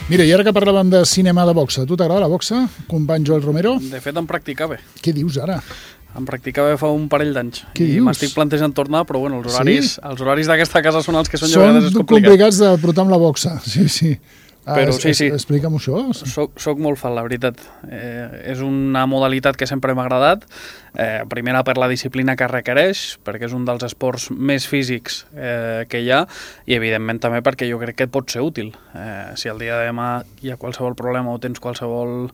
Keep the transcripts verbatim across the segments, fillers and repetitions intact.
Mira, i ara que parlàvem de cinema de boxa, tu t'agrada la boxa, company Joel Romero? De fet, em practicava. Què dius ara? Em practicava fa un parell d'anys. Què I dius? m'estic plantejant tornar, però bueno, els horaris, sí? els horaris d'aquesta casa són els que són, Són a vegades és complicat. complicats de portar amb la boxa, sí, sí. Ah, Però es, sí, sí. Explica'm això. Soc, soc molt fan, la veritat. Eh, és una modalitat que sempre m'ha agradat. Eh, primera, per la disciplina que requereix, perquè és un dels esports més físics eh, que hi ha, i evidentment també perquè jo crec que et pot ser útil. Eh, si el dia de demà hi ha qualsevol problema o tens qualsevol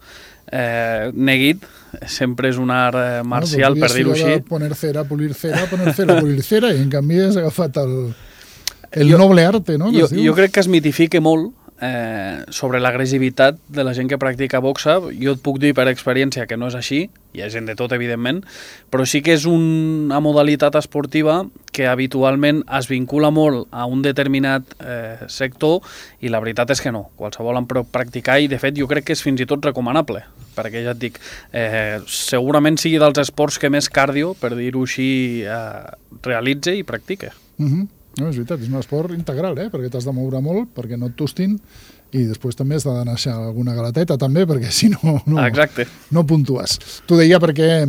eh, neguit, sempre és un art eh, marcial, no, per dir-ho així. Poner cera, polir cera, poner cera, polir cera, i en canvi has agafat el, el jo, noble arte, no? Jo, jo crec que es mitifica molt Eh, sobre l'agressivitat de la gent que practica boxa. Jo et puc dir per experiència que no és així, hi ha gent de tot, evidentment, però sí que és una modalitat esportiva que habitualment es vincula molt a un determinat eh, sector, i la veritat és que no. Qualsevol en pot practicar, i de fet jo crec que és fins i tot recomanable, perquè ja et dic, eh, segurament sigui dels esports que més cardio, per dir-ho així, eh, realitze i practique. Mhm. Uh-huh. No, és veritat, és un esport integral, eh? Perquè t'has de moure molt, perquè no et tostin, i després també has de deixar alguna galateta, també, perquè si no, no, Exacte. no puntues. T'ho deia perquè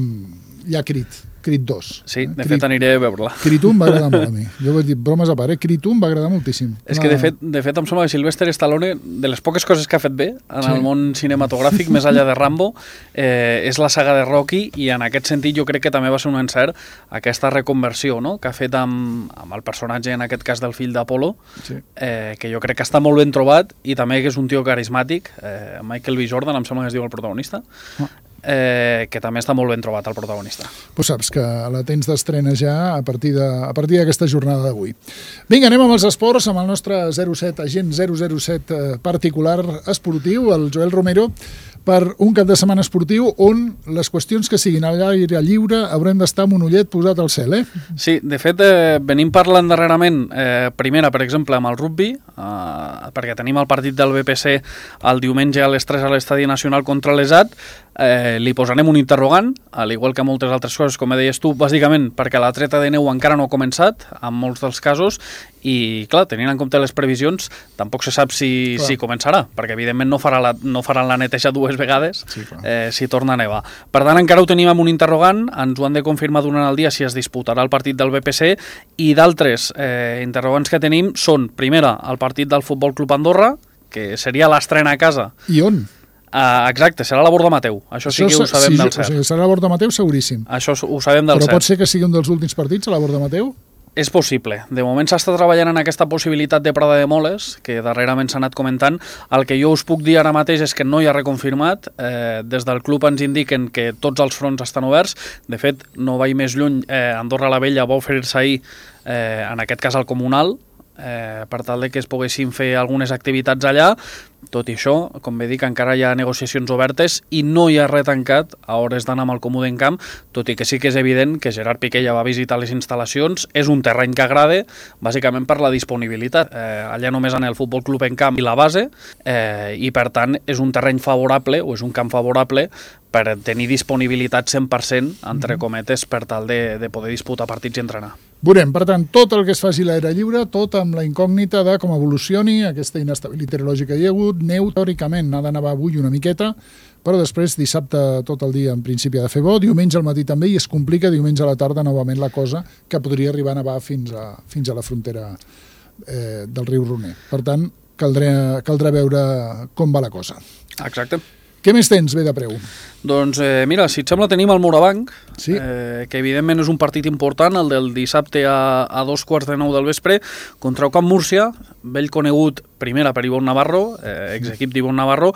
hi ha Crit, Crit dos. Sí, de Crit, fet aniré a veure-la. Crit un va agradar molt a mi. Jo vull dir, bromes a part, eh? Crit un va agradar moltíssim. És que de fet, de fet em sembla que Sylvester Stallone, de les poques coses que ha fet bé en Sí. el món cinematogràfic, més enllà de Rambo, eh, és la saga de Rocky, i en aquest sentit jo crec que també va ser un encert aquesta reconversió, no?, que ha fet amb, amb el personatge, en aquest cas del fill d'Apollo, Sí. eh, que jo crec que està molt ben trobat, i també que és un tio carismàtic, eh, Michael B. Jordan, em sembla que es diu el protagonista, Ah. eh, que també està molt ben trobat el protagonista. Pues saps que la tens d'estrena ja a partir de, a partir d'aquesta jornada d'avui. Vinga, anem amb els esports, amb el nostre zero set, agent zero zero set eh, particular esportiu, el Joel Romero, per un cap de setmana esportiu on les qüestions que siguin a l'aire lliure haurem d'estar amb un ullet posat al cel, eh? Sí, de fet, eh, venim parlant darrerament, eh, primera, per exemple, amb el rugby, eh, perquè tenim el partit del B P C el diumenge a les tres a l'Estadi Nacional contra l'Esat. Eh, li posarem un interrogant, al igual que moltes altres coses, com deies tu, bàsicament perquè la treta de neu encara no ha començat, en molts dels casos, i, clar, tenint en compte les previsions, tampoc se sap si, si començarà, perquè, evidentment, no, farà la, no faran la neteja dues vegades Sí, eh, si torna a nevar. Per tant, encara ho tenim amb un interrogant, ens ho han de confirmar durant el dia si es disputarà el partit del B P C, i d'altres eh, interrogants que tenim són, primera, el partit del Futbol Club Andorra, que seria l'estrena a casa. I on? Uh, exacte, serà a la Borda Mateu. Això sí que ho sabem sí, del o cert. sigui, serà a la Borda Mateu, seguríssim. Això ho sabem del Però cert. pot ser que sigui un dels últims partits a la Borda Mateu? És possible. De moment s'està treballant en aquesta possibilitat de Prada de Moles, que darrerament s'ha anat comentant. El que jo us puc dir ara mateix és que no hi ha reconfirmat. Eh, des del club ens indiquen que tots els fronts estan oberts. De fet, no vaig més lluny, eh, Andorra la Vella va oferir-se ahir, eh, en aquest cas al Comunal, eh, per tal de que es poguessin fer algunes activitats allà. Tot i això, com bé dic, encara hi ha negociacions obertes i no hi ha res tancat a hores d'anar amb el Comú d'Encamp, tot i que sí que és evident que Gerard Piqué ja va visitar les instal·lacions. És un terreny que agrada, bàsicament per la disponibilitat. Eh, allà només en el Futbol Club Encamp i la base, eh, i per tant és un terreny favorable, o és un camp favorable, per tenir disponibilitat cent per cent, entre cometes, per tal de, de poder disputar partits i entrenar. Veurem, per tant, tot el que es faci a l'aire lliure, tot amb la incògnita de com evolucioni aquesta inestabilitat meteorològica que hi ha hagut. Neu, teòricament, n'ha de nevar avui una miqueta, però després dissabte tot el dia en principi ha de fer bo, diumenge al matí també, i es complica diumenge a la tarda novament la cosa, que podria arribar a nevar fins a, fins a la frontera eh, del riu Roner. Per tant, caldrà, caldrà veure com va la cosa. Exacte. Què més tens, bé de preu? Doncs eh, mira, si et sembla tenim el Morabanc, Sí. eh, que evidentment és un partit important, el del dissabte a, a dos quarts de nou del vespre, contra el Camp Múrcia, vell conegut primera per Ivonne Navarro, eh, exequip d'Ivonne Navarro,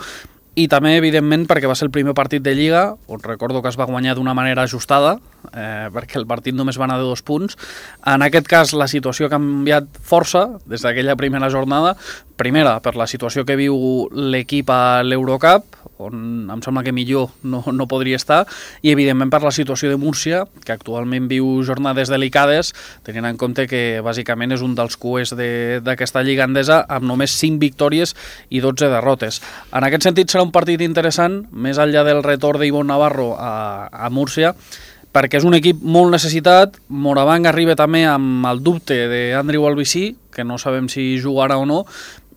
i també, evidentment, perquè va ser el primer partit de Lliga, on recordo que es va guanyar d'una manera ajustada, eh, perquè el partit només va anar de dos punts. En aquest cas, la situació ha canviat força des d'aquella primera jornada. Primera, per la situació que viu l'equip a l'Eurocup, on em sembla que millor no, no podria estar, i evidentment per la situació de Múrcia, que actualment viu jornades delicades, tenint en compte que bàsicament és un dels cues d'aquesta Lliga Endesa, amb només cinc victòries i dotze derrotes. En aquest sentit serà un partit interessant, més enllà del retorn d'Ivonne Navarro a, a Múrcia, perquè és un equip molt necessitat. Morabanc arriba també amb el dubte d'Andrew Albicí, que no sabem si jugarà o no,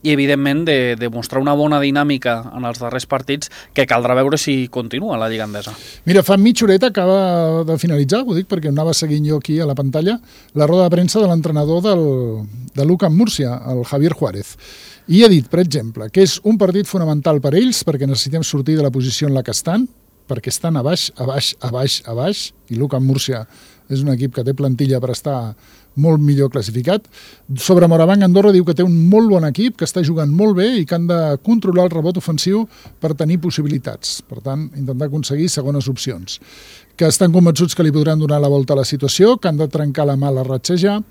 i evidentment de, de mostrar una bona dinàmica en els darrers partits que caldrà veure si continua la Lliga Endesa. Mira, fa mitja horeta acaba de finalitzar, ho dic perquè anava seguint jo aquí a la pantalla, la roda de premsa de l'entrenador del, de l'UCAM Múrcia, el Javier Juárez. I ha dit, per exemple, que és un partit fonamental per ells perquè necessitem sortir de la posició en la que estan, perquè estan a baix, a baix, a baix, a baix, i l'UCAM Múrcia és un equip que té plantilla per estar molt millor classificat. Sobre Morabanc, Andorra diu que té un molt bon equip, que està jugant molt bé i que han de controlar el rebot ofensiu per tenir possibilitats. Per tant, intentar aconseguir segones opcions. Que estan convençuts que li podran donar la volta a la situació, que han de trencar la mala ratxejar,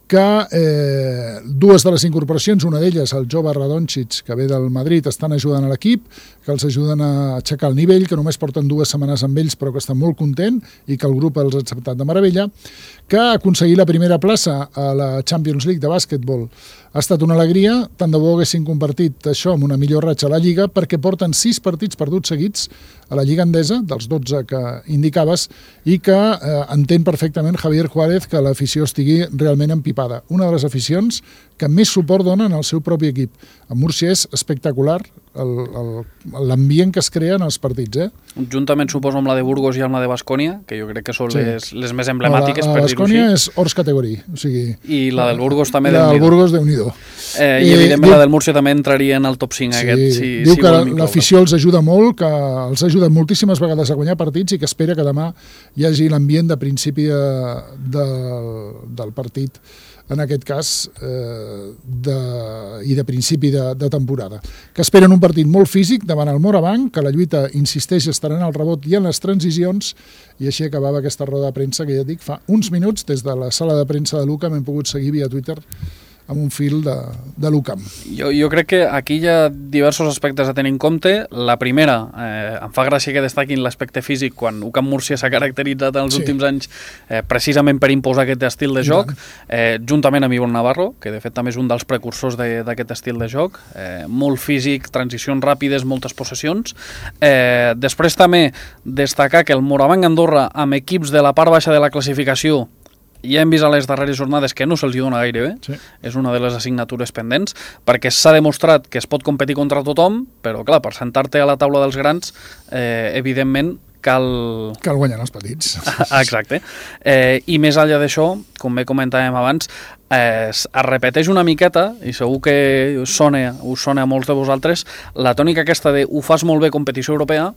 que eh, dues de les incorporacions, una d'elles, el jove Radončić, que ve del Madrid, estan ajudant a l'equip, que els ajuden a aixecar el nivell, que només porten dues setmanes amb ells però que estan molt content i que el grup els ha acceptat de meravella, que aconseguir la primera plaça a la Champions League de bàsquetbol ha estat una alegria, tant de bo haguessin compartit això amb una millor ratxa a la Lliga, perquè porten sis partits perduts seguits a la Lliga Endesa, dels dotze que indicaves, i que eh, entén perfectament Javier Juárez que l'afició estigui realment empipada. Una de les aficions que més suport donen al seu propi equip. A Múrcia és espectacular l'ambient que es crea en els partits. Eh? Juntament, suposo, amb la de Burgos i amb la de Bascònia, que jo crec que són sí. les, les més emblemàtiques, la, per dir-ho així. La Bascònia és hors categoria. O sigui, I la del Burgos també, la del Burgos, Déu-n'hi-do. Eh, I, evidentment, diu, la del Múrcia també entraria en el top cinc. Sí, aquest, si, diu si que l'afició els ajuda molt, que els ha ajudat moltíssimes vegades a guanyar partits i que espera que demà hi hagi l'ambient de principi de, de, del partit, en aquest cas, eh, de, i de principi de, de temporada. Que esperen un partit molt físic davant el Morabanc, que la lluita, insisteix, estarà en el rebot i en les transicions, i així acabava aquesta roda de premsa que ja dic, fa uns minuts, des de la sala de premsa de l'UCAM hem pogut seguir via Twitter amb un fil de, de l'UCAM. Jo, jo crec que aquí hi ha diversos aspectes a tenir en compte. La primera, eh, em fa gràcia que destaquin l'aspecte físic quan UCAM Múrcia s'ha caracteritzat en els sí. últims anys eh, precisament per imposar aquest estil de joc, eh, juntament amb Ivonne Navarro, que de fet també és un dels precursors d'aquest estil de joc, eh, molt físic, transicions ràpides, moltes possessions. Eh, després també destacar que el Morabanc Andorra, amb equips de la part baixa de la classificació, ja hem vist a les darreres jornades que no se'ls dona gaire bé, sí. és una de les assignatures pendents, perquè s'ha demostrat que es pot competir contra tothom, però clar, per sentar-te a la taula dels grans, eh, evidentment cal... Cal guanyar els petits. Exacte. Eh, I més enllà d'això, com bé comentàvem abans, eh, es repeteix una miqueta, i segur que us sona, us sona a molts de vosaltres, la tònica aquesta de ho fas molt bé competició europea,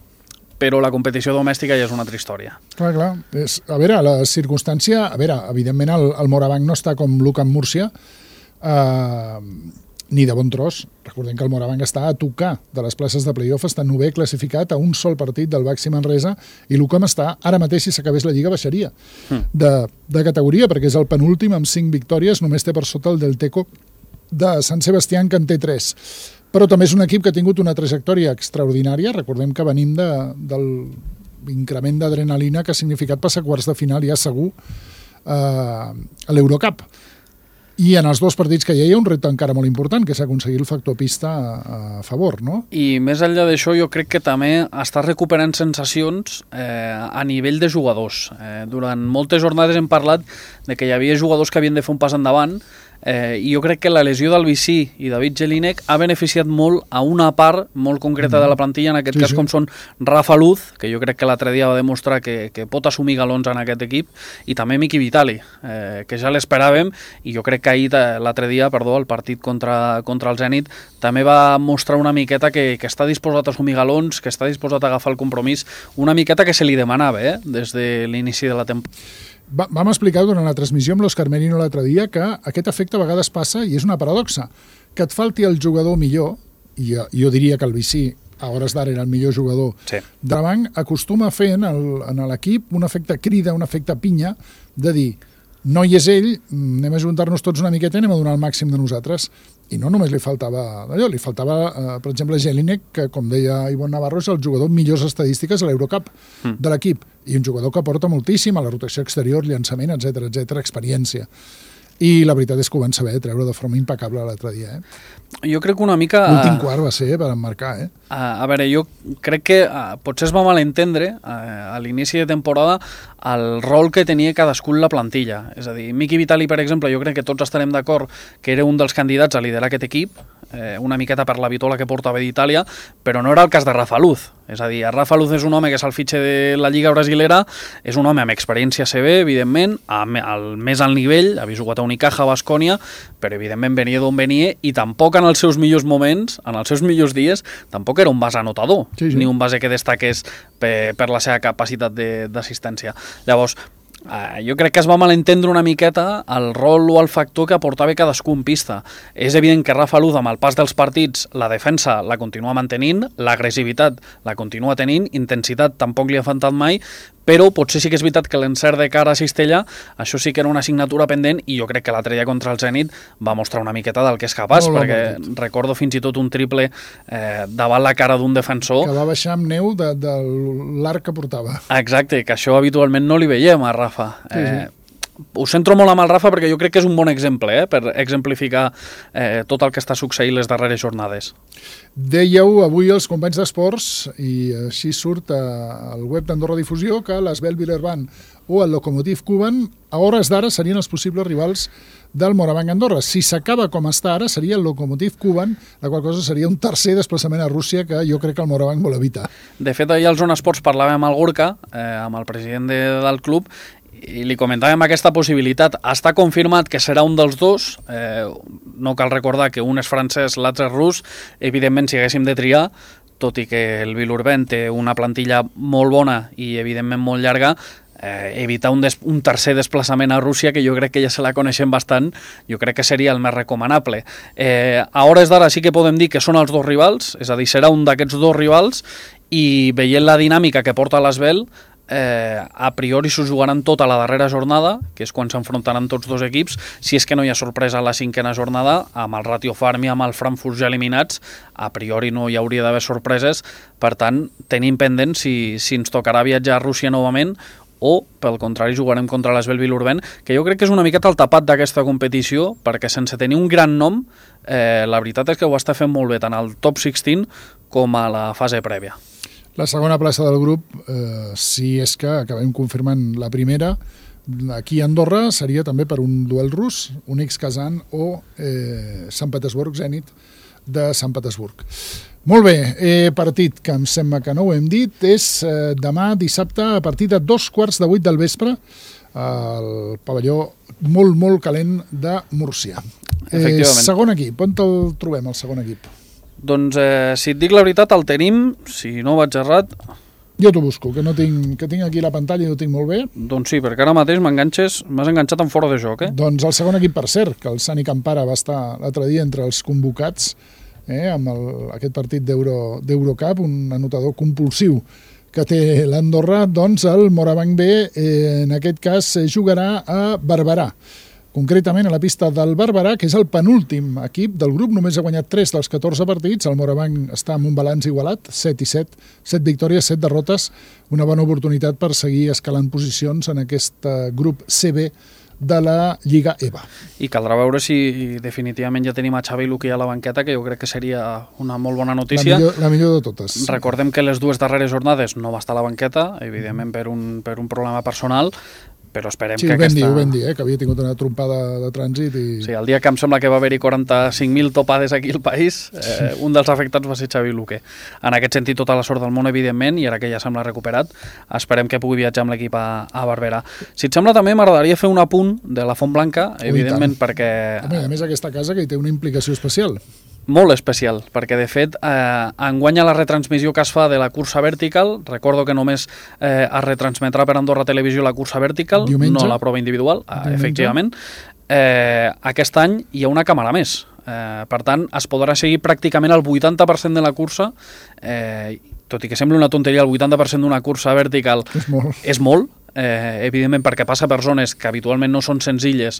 però la competició domèstica ja és una altra història. Clar, clar. És, a veure, la circumstància... A veure, evidentment el, el Morabanc no està com l'UCAM Múrcia, eh, ni de bon tros. Recordem que el Morabanc està a tocar de les places de playoff, està novè classificat a un sol partit del Baxi Manresa, i l'UCAM està, ara mateix, si s'acabés la Lliga, baixaria mm. de, de categoria, perquè és el penúltim amb cinc victòries, només té per sota el del Teco de Sant Sebastián, que en té tres. Però també és un equip que ha tingut una trajectòria extraordinària. Recordem que venim de, del increment d'adrenalina que ha significat passar quarts de final ja segur eh, a l'Eurocup. I en els dos partits que hi ha hi ha un repte encara molt important, que és aconseguir el factor pista a, a favor, no? I més enllà d'això, jo crec que també està recuperant sensacions eh, a nivell de jugadors. Eh, durant moltes jornades hem parlat de que hi havia jugadors que havien de fer un pas endavant, Eh, i jo crec que la lesió d'Albicí i David Jelinek ha beneficiat molt a una part molt concreta de la plantilla, en aquest sí, cas sí. com són Rafa Luz, que jo crec que l'altre dia va demostrar que, que pot assumir galons en aquest equip, i també Miki Vitali, eh, que ja l'esperàvem, i jo crec que ahir, l'altre dia, perdó, el partit contra, contra el Zenit, també va mostrar una miqueta que, que està disposat a assumir galons, que està disposat a agafar el compromís, una miqueta que se li demanava eh, des de l'inici de la temporada. Va, vam explicar durant la transmissió amb l'Òscar Merino l'altre dia que aquest efecte a vegades passa, i és una paradoxa, que et falti el jugador millor, i jo, jo diria que el Vicí a hores d'ara era el millor jugador sí. de la banc, acostuma a fer en l'equip un efecte crida, un efecte pinya, de dir, no hi és ell, anem a juntar-nos tots una miqueta i anem a donar el màxim de nosaltres. I no només li faltava d'allò, li faltava, eh, per exemple, Jelinek, que, com deia Ivonne Navarro, és el jugador amb millors estadístiques a l'Eurocup mm. de l'equip, i un jugador que aporta moltíssim a la rotació exterior, llançament, etcètera, etcètera, experiència. i la veritat és que ho van saber treure de forma impecable l'altre dia. Eh? Jo crec que una mica... L'últim quart va ser per emmarcar. Eh? A, a veure, jo crec que uh, potser es va malentendre uh, a l'inici de temporada el rol que tenia cadascun la plantilla. És a dir, Miki Vitali, per exemple, jo crec que tots estarem d'acord que era un dels candidats a liderar aquest equip, eh, una miqueta per la vitola que portava d'Itàlia, però no era el cas de Rafa Luz. És a dir, Rafa Luz és un home que és el fitxe de la Lliga Brasilera, és un home amb experiència a C B, evidentment, amb el més alt nivell, ha jugat a Unicaja, a Baskonia, però evidentment venia d'on venia i tampoc en els seus millors moments, en els seus millors dies, tampoc era un base anotador, sí, sí. ni un base que destaqués per, per la seva capacitat d'assistència. Llavors, Uh, jo crec que es va malentendre una miqueta el rol o el factor que aportava cadascú en pista. És evident que Rafa Luz, amb el pas dels partits, la defensa la continua mantenint, l'agressivitat la continua tenint, intensitat tampoc li ha faltat mai, però potser sí que és veritat que l'encert de cara a Cistella, això sí que era una assignatura pendent, i jo crec que l'altre dia contra el Zenit va mostrar una miqueta del que és capaç, molt perquè molt recordo fins i tot un triple eh, davant la cara d'un defensor. Que va baixar amb neu de, de l'arc que portava. Exacte, que això habitualment no li veiem a Rafa. Sí, sí. Eh, ho centro molt amb el Rafa perquè jo crec que és un bon exemple eh, per exemplificar eh, tot el que està succeint les darreres jornades. Dèieu avui els companys d'esports, i així surt al web d'Andorra Difusió, que l'Esbel Villerban o el Lokomotiv Kuban a hores d'ara serien els possibles rivals del Morabanc Andorra. Si s'acaba com està ara, seria el Lokomotiv Kuban, la qual cosa seria un tercer desplaçament a Rússia que jo crec que el Morabanc vol evitar. De fet, ahir al Zona Esports parlàvem amb el Gorka, eh, amb el president de, del club, i li comentàvem aquesta possibilitat. Està confirmat que serà un dels dos, eh, no cal recordar que un és francès, l'altre és rus, evidentment si haguéssim de triar, tot i que el Vilurben té una plantilla molt bona i evidentment molt llarga, eh, evitar un, des, un tercer desplaçament a Rússia, que jo crec que ja se la coneixem bastant, jo crec que seria el més recomanable. Eh, a hores d'ara sí que podem dir que són els dos rivals, és a dir, serà un d'aquests dos rivals, i veient la dinàmica que porta l'Esbel, Eh, a priori s'ho jugaran tota la darrera jornada, que és quan s'enfrontaran tots dos equips, si és que no hi ha sorpresa a la cinquena jornada, amb el Ratio Farm i amb el Frankfurt ja eliminats, a priori no hi hauria d'haver sorpreses, per tant, tenim pendent si, si ens tocarà viatjar a Rússia novament o, pel contrari, jugarem contra l'Esbel Vilurben, que jo crec que és una miqueta el tapat d'aquesta competició, perquè sense tenir un gran nom, eh, la veritat és que ho està fent molt bé, tant al top setze com a la fase prèvia. La segona plaça del grup, eh, si és que acabem confirmant la primera, aquí a Andorra seria també per un duel rus, un ex-Kazan o eh, Sant Petersburg, Zenit de Sant Petersburg. Molt bé, eh, partit que em sembla que no ho hem dit, és eh, demà dissabte a partir de dos quarts de vuit del vespre al pavelló molt, molt calent de Múrcia. Eh, segon equip, on el trobem, el segon equip? Doncs, eh, si et dic la veritat, el tenim, si no vaig errat... Jo t'ho busco, que no tinc, que tinc aquí la pantalla i ho tinc molt bé. Doncs sí, perquè ara mateix m'enganxes, m'has enganxat en fora de joc, eh? Doncs el segon equip, per cert, que el Sani Campara va estar l'altre dia entre els convocats, eh, amb el, aquest partit d'Eurocup, un anotador compulsiu que té l'Andorra, doncs el Morabanc B, eh, en aquest cas, jugarà a Barberà. Concretament a la pista del Barberà, que és el penúltim equip del grup, només ha guanyat tres dels catorze partits, el Morabanc està amb un balanç igualat, set i set, set victòries, set derrotes, una bona oportunitat per seguir escalant posicions en aquest grup C B de la Lliga E V A. I caldrà veure si definitivament ja tenim a Xavi Luque a la banqueta, que jo crec que seria una molt bona notícia. La millor, la millor de totes. Recordem que les dues darreres jornades no va estar a la banqueta, evidentment per un, per un problema personal, però esperem sí, que aquesta... Sí, ho vam dir, dir, eh? Que havia tingut una trompada de trànsit i... Sí, el dia que em sembla que va haver-hi quaranta-cinc mil topades aquí al país, eh, un dels afectats va ser Xavi Luque. En aquest sentit, tota la sort del món, evidentment, i ara que ja sembla recuperat, esperem que pugui viatjar amb l'equip a, a Barberà. Si et sembla, també m'agradaria fer un apunt de la Font Blanca, evidentment, perquè... A més, aquesta casa que hi té una implicació especial. Molt especial, perquè de fet eh, enguanya la retransmissió que es fa de la cursa vertical, recordo que només eh, es retransmetrà per Andorra Televisió la cursa vertical, diumenge, no la prova individual, eh, efectivament. Eh, aquest any hi ha una càmera més, eh, per tant es podrà seguir pràcticament el vuitanta per cent de la cursa, eh, tot i que sembli una tonteria, el vuitanta per cent d'una cursa vertical és molt, és molt Eh, evidentment perquè passa per zones que habitualment no són senzilles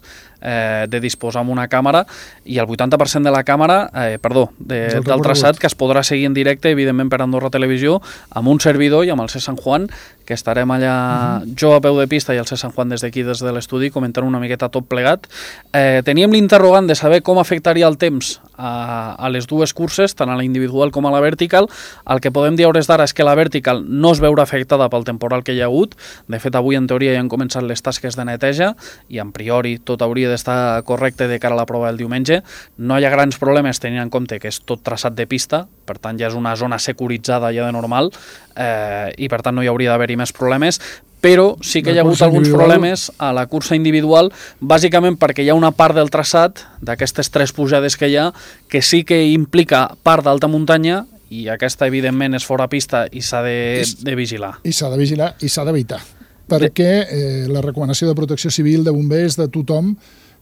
eh, de disposar amb una càmera, i el vuitanta per cent de la càmera, eh, perdó, de, del traçat que es podrà seguir en directe, evidentment per Andorra Televisió, amb un servidor i amb el C. Sant Juan, que estarem allà uh-huh. jo a peu de pista i el César Juan des d'aquí, des de l'estudi, comentant una miqueta tot plegat. Eh, teníem l'interrogant de saber com afectaria el temps a, a les dues curses, tant a la individual com a la vertical. El que podem dir a hores d'ara és que la vertical no es veurà afectada pel temporal que hi ha hagut. De fet, avui en teoria ja han començat les tasques de neteja i en priori tot hauria d'estar correcte de cara a la prova del diumenge. No hi ha grans problemes tenint en compte que és tot traçat de pista, per tant ja és una zona securitzada ja de normal, eh, i per tant no hi hauria d'haver-hi més problemes, però sí que hi ha hagut alguns problemes a la cursa individual, bàsicament perquè hi ha una part del traçat d'aquestes tres pujades que hi ha que sí que implica part d'alta muntanya i aquesta evidentment és fora pista i s'ha de, de vigilar. I s'ha de vigilar i s'ha d'evitar, perquè eh, la recomanació de protecció civil, de bombers, de tothom,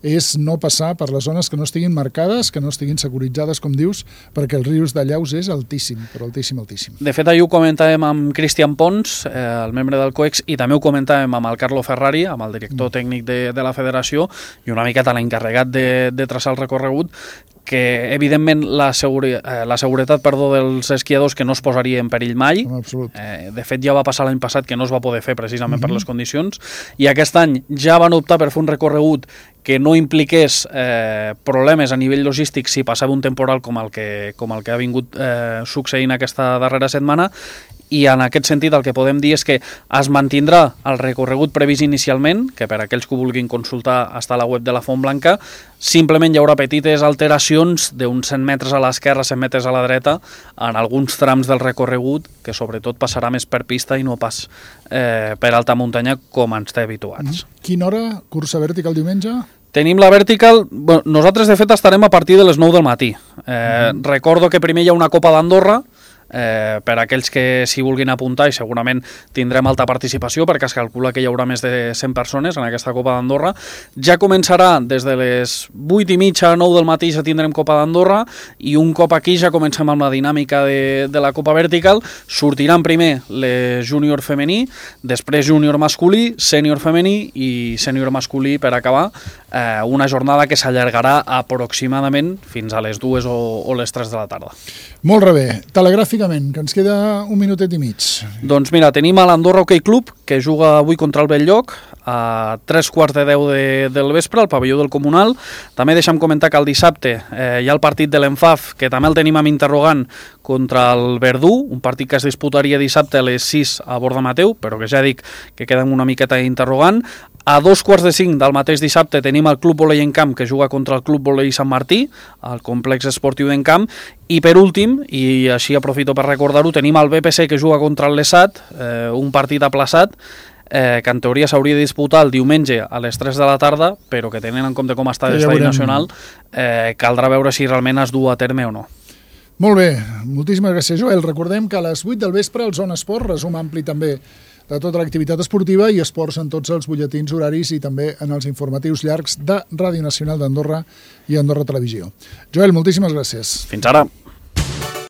és no passar per les zones que no estiguin marcades, que no estiguin securitzades, com dius, perquè el risc de llaus és altíssim, però altíssim, altíssim. De fet, ahir ho comentàvem amb Cristian Pons, eh, el membre del COEX, i també ho comentàvem amb el Carlo Ferrari, amb el director mm. tècnic de, de la federació, i una miqueta l'encarregat de, de traçar el recorregut, que evidentment la, seguri, eh, la seguretat perdó, dels esquiadors que no es posaria en perill mai. Eh, de fet ja va passar l'any passat que no es va poder fer precisament mm-hmm. per les condicions, i aquest any ja van optar per fer un recorregut que no impliqués eh, problemes a nivell logístic si passava un temporal com el que, com el que ha vingut eh, succeint aquesta darrera setmana, i en aquest sentit el que podem dir és que es mantindrà el recorregut previst inicialment, que per aquells que ho vulguin consultar està a la web de la Font Blanca. Simplement hi haurà petites alteracions d'uns cent metres a l'esquerra, cent metres a la dreta, en alguns trams del recorregut, que sobretot passarà més per pista i no pas eh, per alta muntanya com ens té habituats. Quina hora cursa vertical diumenge? Tenim la vertical, bueno, nosaltres de fet estarem a partir de les nou del matí. Eh, mm. Recordo que primer hi ha una Copa d'Andorra, Eh, per aquells que s'hi vulguin apuntar, i segurament tindrem alta participació perquè es calcula que hi haurà més de cent persones en aquesta Copa d'Andorra. Ja començarà des de les vuit i mitja, nou del matí, ja tindrem Copa d'Andorra, i un cop aquí ja comencem amb la dinàmica de, de la Copa Vertical. Sortiran primer les júnior femení, després júnior masculí, sènior femení i sènior masculí per acabar, eh, una jornada que s'allargarà aproximadament fins a les dues o, o les tres de la tarda. Molt bé. Telegràficament, que ens queda un minutet i mig. Doncs mira, tenim a l'Andorra Hockey Club, que juga avui contra el Belllloc, a tres quarts de deu de, del vespre, al pavelló del Comunal. També deixa'm comentar que el dissabte eh, hi ha el partit de l'Enfaf, que també el tenim amb interrogant, contra el Verdú, un partit que es disputaria dissabte a les sis a Borda Mateu, però que ja dic que queda una miqueta interrogant. A dos quarts de cinc del mateix dissabte tenim el Club Volei Encamp, que juga contra el Club Volei Sant Martí, al complex esportiu d'Encamp. I per últim, i així aprofito per recordar-ho, tenim el B P C que juga contra el Lesat, eh, un partit aplaçat, eh, que en teoria s'hauria de disputar el diumenge a les tres de la tarda, però que tenint en compte com està l'estadi nacional, eh, caldrà veure si realment es du a terme o no. Molt bé, moltíssimes gràcies, Joel. Recordem que a les vuit del vespre el Zona Esport, resum ampli també de tota l'activitat esportiva i esports en tots els butlletins horaris i també en els informatius llargs de Ràdio Nacional d'Andorra i Andorra Televisió. Joel, moltíssimes gràcies. Fins ara.